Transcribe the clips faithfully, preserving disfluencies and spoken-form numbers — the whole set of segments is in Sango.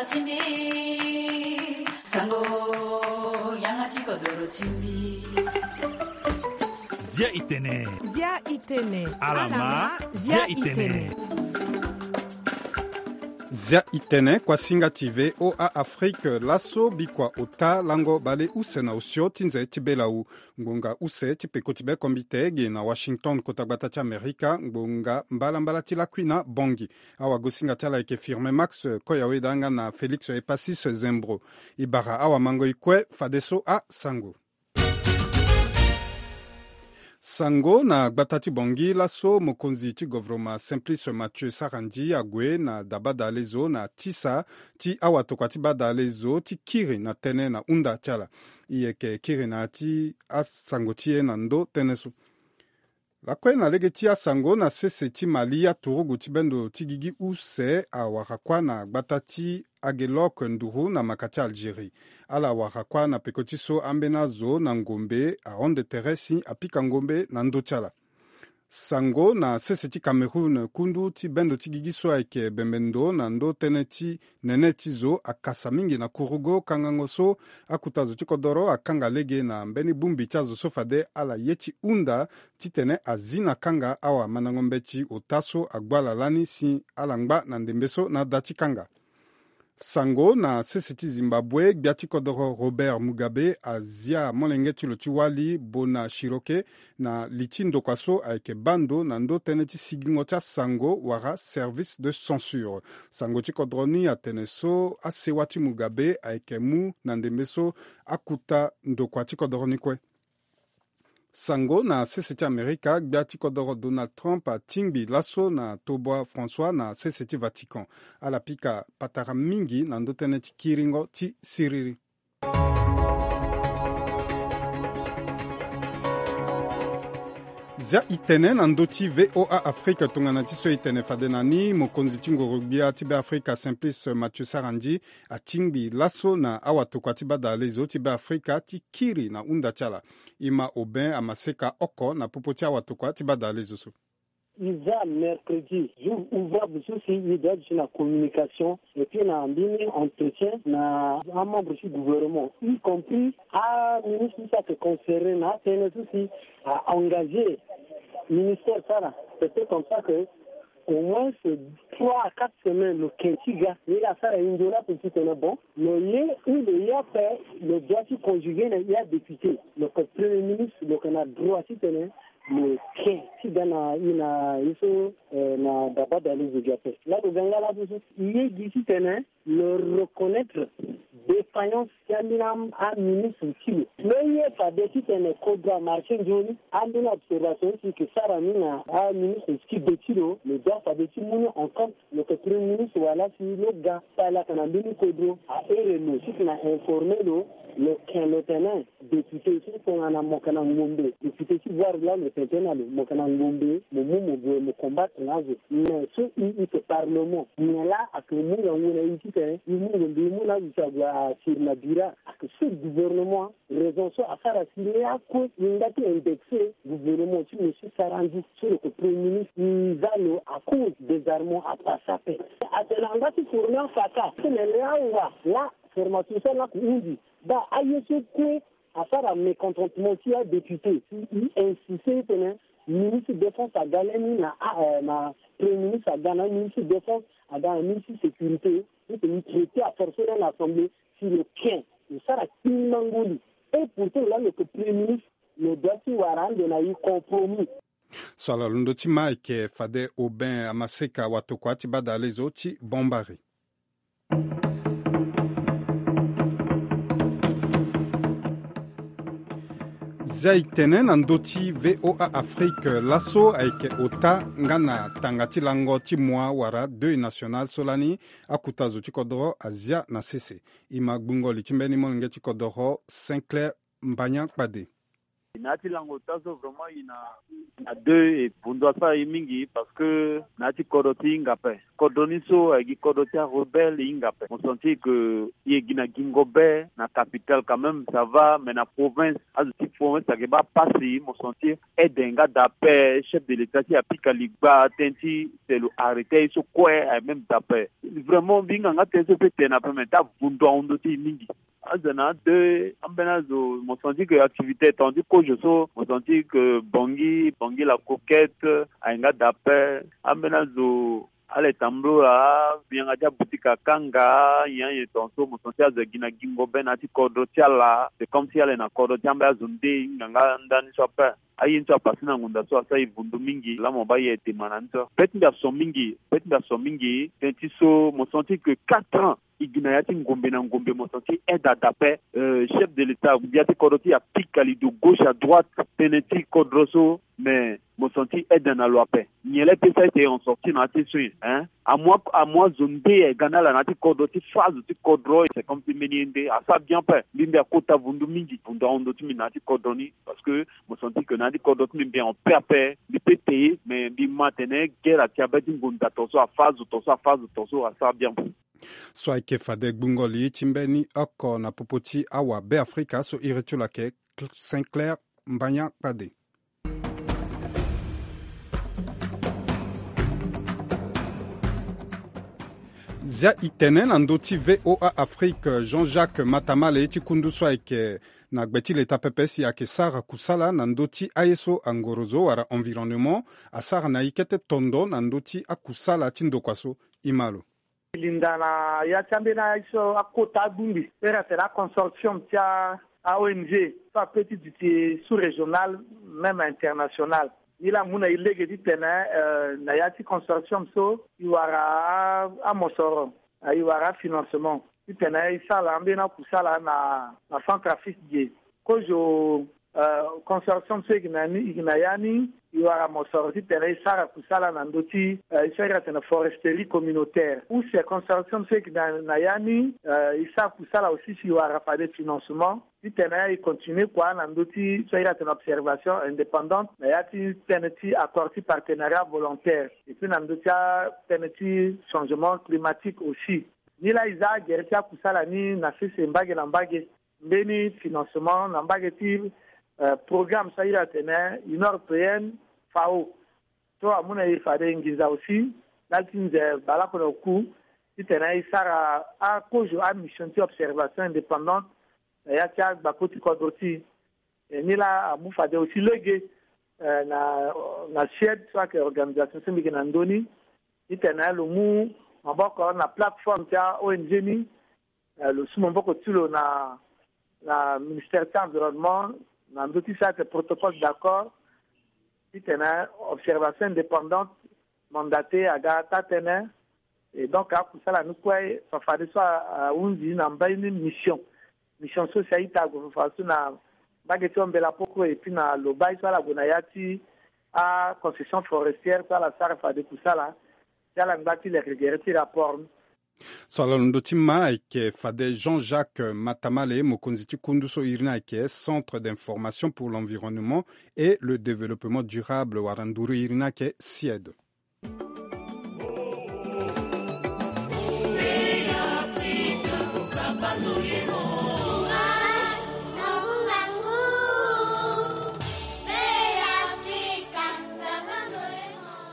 Timbi, sango, yanga ti kodoro timbi. Zia itene. Zia itene. Alama, zia itene. Zia itene, kuasinga ti V O A Afrique, laso bikua ota lango bale use na osio ti nze ti belau. Ngbonga use ti peko ti be kombite ge na Washington, kota gbata ti Amerika, ngbonga mbalambala ti lakui na Bongi. Awagosinga ti ala ayeke Firmin Max, koya weda nga na Félix Epassis Zembro. E bara awamango e kue fadeso asango. Sango na gbata ti Bongi, laso mokonzi ti govoroma Simplice Mathieu Sarandji ague na dabadalezo na tisa ti awatokua ti badalezo ti kiri na tënë na hunda ti ala. E yeke kiri na ya ti asango ti e na ndö tënë so. Lakue na lege ti asango, na sese ti Mali, aturugu ti bendo ti gigi use awara kuâ na gbata ti Aguelok nduru na maka ti Algérie. Ala wara kuâ na peko ti so ambeni azo na ngombe ahonde tere si apika ngombe na ndö ti ala. Sango na sese ti Cameroun, kundu ti bendo ti gigi so ayeke bembe ndo na ndö tënë ti nene ti zo akasa mingi na kurugo kangango so akuta zo ti kodoro akanga lege na mbeni bongbi ti azo so fade ala ye ti hunda titene azi na kanga awamandango mbeti ota so agbu ala lani si ala ngba na ndembe so na da ti kanga. Sango na sese ti Zimbabwe, gbia ti kodoro Robert Mugabe azia molenge ti lo ti wali Bona Chiroke na li ti ndokua so ayeke baa ndo na ndö tënë ti sigingo ti asango wala service de censure. Sango ti kodoro ni atene so asewa ti Mugabe ayeke mu na ndembe so akuta ndokua ti kodoro ni kue. Sango na sese ti Amerika, gbia ti kodoro Donald Trump atingbi laso na tobwa François na sese ti Vatican. Ala pika patara mingi na ndö tënë ti kiringo ti siriri. Zia itene na ndö ti V O A Afrika. Tongana ti so itene fade na ni, mokonzi ti ngoro-gbia ti Beafrika Simplice Mathieu Sarandji atingbi laso na awatokua ti badalezo ti Beafrika ti kiri na hunda ti ala. E ma Aubin Amaseka oko na popo ti awatokua ti badalezo so. E za mercredi, jour ouvrable so si e doit duti na communication, et puis na mbeni entretien na amembre ti gouvernement, y compris aministre so si ayeke concerné na atënë so si a engagé ministère sara, c'est comme ça que au moins trois à quatre semaines lo ken ti ga, ye asara e nzoni ape titene bon, lo ye ou lo ye ape, lo doit ti conjuguer na e adéputé, lo yeke premier ministre, lo yeke na droit titene lo ken ti ga na e na e so, eh, na dabadalezo gi ape. Laa lo ga nga laso so e ye gi titene lo reconnaître défaillance ti ambeni am-, aministre ti lo. Lo ye fade titene kodro amarché nzoni, ambeni observation ti yeke sara ni na aministre ti gbe ti lo, lo doit fade ti mu ni en compte. Lo yeke premier ministre wala si lo ga, fade ayeke na mbeni kodro ahere lo titene a informer lo, lo ken lo tene député so tongana mo yeke na ngombe, député ti voir laa lo tene tënë na lo, mo yeke na ngombe, mo mu mo gue mo combattre na azo. Mais so e, e yeke parlement, nyen laa ayeke mu ngangu na e titene e mu ngombe e mu na azo si ague asiri na bira? Ayeke so gouvernement, raison so asara si ni akue e ngba ti indexé gouvernement ti monsieur Sarandji so lo yeke premier ministre. E za lo à cause désarmement apasa ape. Atene angba ti former afaka titene laa awa laa formation so laa ayeke hunzi. Baa aye so kue asara mécontentement ti adéputé. E insiste titene ministre défense aga lani na, ah, eh, na premier ministre aga na ministre défense aga na ministre sécurité. Titene e traité affaire so lani na assemblée si lo ken lo sara kpingbango li. Et pourtant laa lo yeke premier ministre, lo doit ti wara ande na e compromis. So ala londo ti ma ayeke fade Aubin Amaseka watokua ti badalezo ti Bombari. Zia e tene na ndö ti V O A Afrique, laso ayeke ota nga na tanga ti lango ti mua wala deuil national so lani akuta zo ti kodoro azia na sese. E ma gbungo li ti mbeni molenge ti kodoro Sinclair Mbanya Kpade. Na ya ti lango ota so vraiment i na na deux e vundu asara e mingi parce que na ya ti kodro ti hinga ape. Kodro ni so ayeke gi kodro ti arebelle e hinga ape. Mo sentir que e gi na gingo be na capitale quand même ça va, mais na province azo ti province ayeke baa pasi. Mo sentir aide nga daa ape. Chef de l'état ti apika ligba tënë ti telo arrêter ye so kue aye même daa ape. Vraiment mbi hinga nga tënë so pe tene ape mais ti avundu ahon ndö ti e mingi. Azo na ade ambeni azo mo sentir que activité tongana ti kozo so mo sentir que bongi bongi la coquette aye nga daa ape. Ambeni azo ala e tambula mbi yanga ti aboutique akanga nyen nyen tongaso mo sentir azo agi na gingo be na ya ti kodro ti ala. C'est comme si ala e na kodro ti ambeni azo nde e hinga nga ndani so ape. Aye ni so apase na ngonda so asara e vundu mingi laa mo baa ye aye dema na ni so. Pe ti mbi ason mingi pe ti mbi ason mingi tënë ti so mo sentir que quatre ans e gi na ya ti ngombe na ngombe mo sentir aide adape. Chef de l'état ya ti kodro ti e apika lido gauche à droite tënë ti kodro so. Mais mo sentir aide na lo ape. Nyen laa e pe sara ete en sortir na ya ti so nyen? Hein, amu amu azo nde aye ga na ala na ya ti kodro ti fâ azo ti kodro. C'est comme si mbeni ye nde asara bien ape. Mbi mbi akota vundu mingi vundu ahon ndö ti mbi na ya ti kodro ni. Parce que mo sentir que na ya ti kodro ti mbi mbi en paix ape. Mbi pe te mais mbi ma atene guerre ake abe ti ngonda tongaso afâ azo tongaso afâ azo tongaso asara bien. So ayeke fade gbungo li ti mbeni oko na popo ti awabeafrika so iri ti lo ayeke Sinclair Mbanya Kpade. Zia e tene na ndö ti VOA Afrique, Jean-Jacques Matamale ti kundu so ayeke na gbe ti leta pepe si ayeke sara kusala na ndö ti aye so angorozo wala environnement asara na e kete tondo na ndö ti akusala ti ndokua so. E ma lo. Linda na ya ti ambeni aye so akota abongbi so iri atene aconsortium ti a-ong so ape ti duti sous-régional même international. Ni laa amu na e lege titene na ya ti consortium so e wara amosoro, e wara afinancement titene e sara ambeni akusala na na Centrafrique ge. Kozo consortium so e yeke na ya ni e wara mosoro titene e sara kusala na ndö ti so iri atene foresterie communautaire. Use consortium so e yeke na ya ni e sara kusala aussi si e wara fade financement titene e continue kua na ndö ti so iri atene observation indépendante na ya ti tënë ti accord ti partenariat volontaire et puis na ndö ti atënë ti changement climatique aussi. Ni laa e za agere ti akusala ni na sese mbage na mbage. Mbeni financement na mbage ti programme so a iri atene Union européenne, FAO, so amu na e fade nginza aussi ndali ti nze baleoko na oku titene e sara akozo amission ti observation indépendante na ya ti agbako ti kodro ti e. Ni laa amu fade aussi lege na na Suède so ayeke organisation so mbi yeke na ndö ni titene lo mu maboko na plateforme ti a-ong ni. Lo su maboko ti lo na na ministère ti environnement na ndö ti sara ete protocole d'accord titene observation indépendante mandate aga taa tënë. Et donc akusala ni kue fafadeso ahunzi na mbeni mission. Mission so si a-ita ague fafadeso na mbage ti ombela poko et puis na lobai so ala gue na ya ti aconcession forestière so ala sara fade kusala si ala ngba ti leke gere ti rapport ni. So ala londo ti ma ayeke fade Jean-Jacques Matamale, mokonzi ti kundu so iri ni ayeke Centre d'information pour l'environnement et le développement durable wala nduru iri ni ayeke CIED.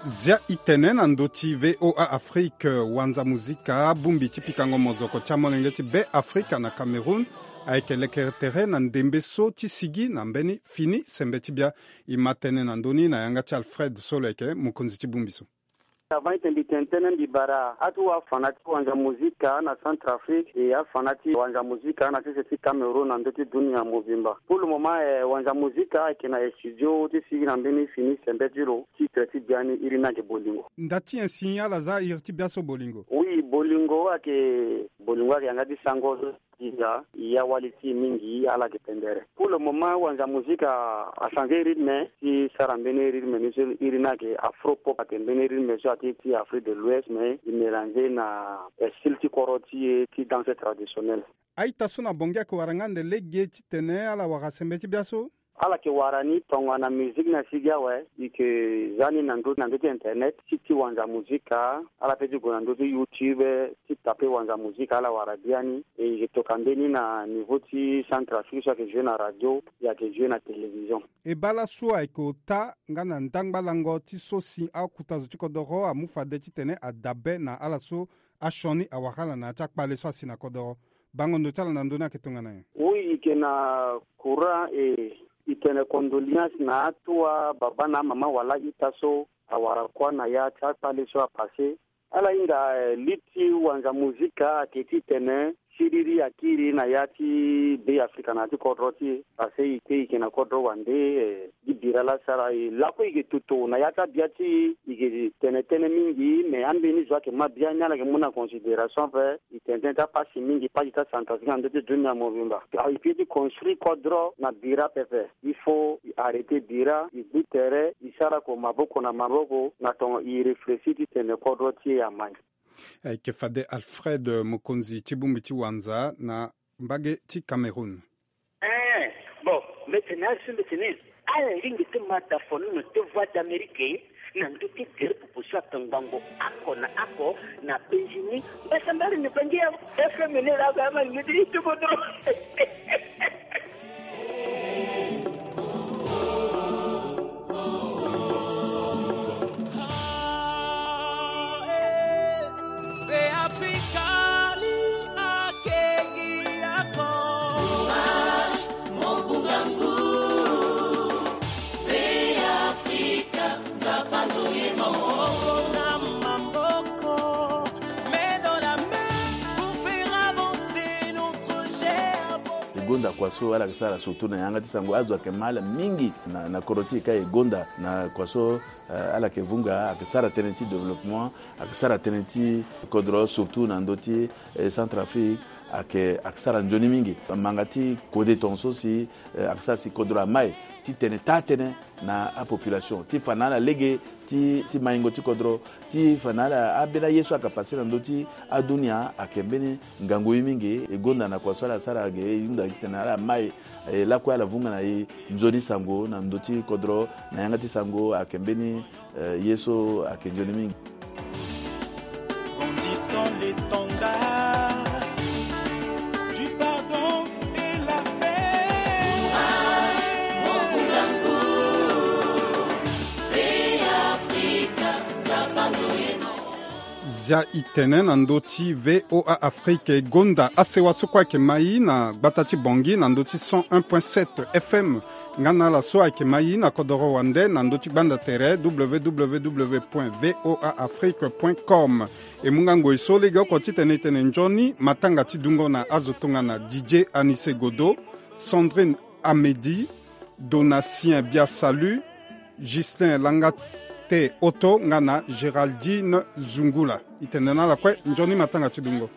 Zia e tene na ndö ti VOA Afrique, wanza muzika bongbi ti pikango mozoko ti amolenge ti Be Afrika na Cameroun ayeke lekere tere na ndembe so ti sigi na mbeni fini sembe ti bia. E ma tënë na ndö ni na yanga ti Alfred so lo yeke mokonzi ti bongbi so. Avant ete mbi tene tënë, mbi bara atuwa afana ti wanza muzika na Centrafrique e afana ti wanza muzika na sese ti Cameroun na ndö ti dunia mobimba. Pour le moment, eh, wanza muzika ayeke na studio ti sigi na mbeni fini sembe ti lo. Titre ti biani iri ni ayeke Bolingo. Nda ti nyen si ala za iri ti bia so Bolingo? Oui, Bolingo ayeke, Bolingo ayeke yanga ti sango so ti hinga e awali ti e mingi, ala yeke pendere. Pour le moment wanza muzika a changer rythme ti sara mbeni rythme ni so iri ni ayeke afro pop, ayeke mbeni rythme so ati ti Afrique de l'Ouest mais e mélanger na style ti koro ti e ti danse traditionnel. A-ita so na Bangui ayeke wara nga ande lege titene ala wara sembe ti bia so? Ala yeke wara ni tongana musique ni asi gi awe, e yeke za ni na ndö, na ndö ti internet, ti, ti wanza musique, ala pe ti gue na ndö ti YouTube, ti tape wanza musique, ala wara biani. E yeke toka mbeni na niveau ti Centrafrique so ayeke joue na radio, e ayeke joue na télévision. E baa laso ayeke ota nga na ndangba lango ti so si akota zo ti kodoro amu fade titene adabe na ala so asioni awara ala na ya ti akpale so asi na kodoro. Bango ndo ti ala na ndö ni ayeke tongana nyen? Oui, e yeke na courant, e, e tene condoléance na atuwa baba na amama wala ita so awara kuâ na ya ti akpale so apassé. Ala hinga, eh, li ti wanza musique ayeke titene siriri akiri na ya ti Be Afrika na ya ti kodro ti e. Parce que e kpe e yeke na kodro wande, eh, gi bira laa asara e lakue e yeke toto na ya ti abia ti e, e yeke tene tënë mingi, mais ambeni zo ayeke ma biani ala yeke mu na considération ape. E tene tënë ti apasi mingi, pasi ti aCentrafrique na ndö ti dunia mobimba. Alors e peut ti construire kodro na bira pepe. Il faut e arrêter bira, e gbu tere, e sara ko maboko na maboko na tongo e réfléchir titene kodro ti e amai. Ayeke fade Alfred, eh, mokonzi ti bongbi ti wanza na mbage ti Cameroun. Eh, bon, mbi tene azo, mbi tene ala lingbi ti ma dafono na te Voix d'Amérique na ndö ti gere popo so ayeke ngbangbo oko na oko na Benjini. Mbasambala na Bangi ya F M ni laa, ama lingbi ti ti kodro. E gonda kua so ala yeke sara surtout na yanga ti sango, azo ayeke ma ala mingi na, na kodro ti e ka e gonda na kua so, eh, ala yeke vunga, ayeke sara tënë ti développement, ayeke sara tënë ti kodro, surtout na ndö ti, eh, Centrafrique, ayeke, ayeke sara nzoni mingi. Manga ti kode tongaso si, eh, ayeke sara si kodro amai ti tene taa tënë na apopulation ti fa na ala lege ti, ti maingo ti kodro, ti fa na ala ambeni aye so ayeke pase na ndö ti adunia, ayeke mbeni ngangu ye mingi. E gonda na kua so ala sara ge, e hunda titene ala mai, e lakue ala vunga na e nzoni sango na ndö ti kodro, na yanga ti sango ayeke mbeni, eh, ye so ayeke nzoni mingi. Brandissons l'étendard du pardon et la paix. Zia e tene na ndö ti V O A Afrique, e gonda asewa so kue ayeke mai na gbata ti Bangui na ndö ti cent un point sept F M, nga na ala so ayeke mai na kodoro wande na ndö ti gbanda tere W W W point V O A Afrique point com. E mu nga ngoi so legeoko titene e tene nzoni matanga ti dungo na azo tongana D J Anissé Godo, Sandrine Amedy, Donatien Biasalu, Justin Langate Otto nga na Géraldine Zungula. E tene na ala kue nzoni matanga ti dungo.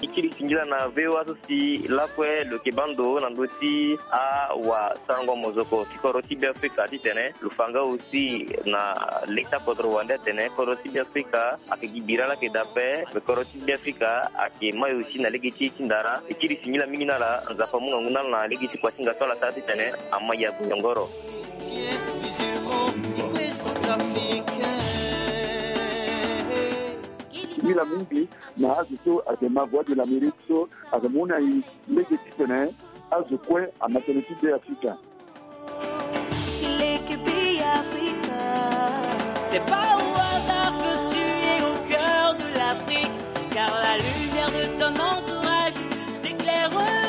E kiri singila na V O A so si lakue lo yeke baa ndo na ndö ti awasarango mozoko ti kodro ti Beafrika titene lo fa nga aussi na leta kodro wande atene kodro ti Beafrika ayeke gi bira laa ayeke daa ape, me kodro ti Beafrika ayeke mai aussi na lege ti e ti ndara. E kiri singila mingi na ala, Nzapa amu ngangu na ala na lege ti kua ti nga so ala sara titene amai ague yongoro. Singila mingi na azo so ayeke ma Voix de l'Amérique so ayeke mu na e lege titene azo kue ama tënë ti Beafrika. C'est pas au hasard que tu es au cœur de l'Afrique, car la lumière de ton entourage t'éclairera.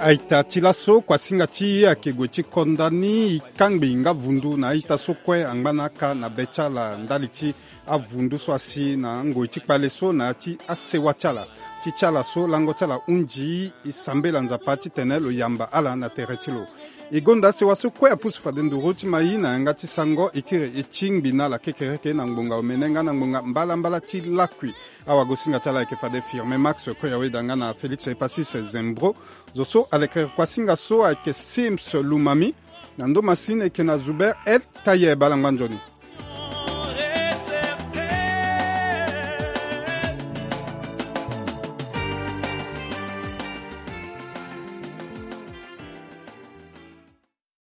A-ita ti laso, kuasinga ti e ayeke gue ti konda ni e kangbi nga vundu na a-ita so kue angba na aka na be ti ala ndali ti avundu so asi na ngoi ti kpale so na ya ti asewa ti ala. Ti ti ala so lango ti ala hunzi e sambela Nzapa titene lo yamba ala na tere ti lo. E gonda si waso kue apusu fade nduru ti mai na yanga ti sango e kiri e tingbi na ala kekereke na ngbonga omene nga na ngbonga mbalambala ti lakui. Awagosinga ti ala ayeke fade Firme Max Koyaweda nga na Félix Epasis Zembro. Zo so alekere kuasinga so ayeke Sims Lumami. Na ndo masini eke na Zuber El Taye bala ngba nzoni.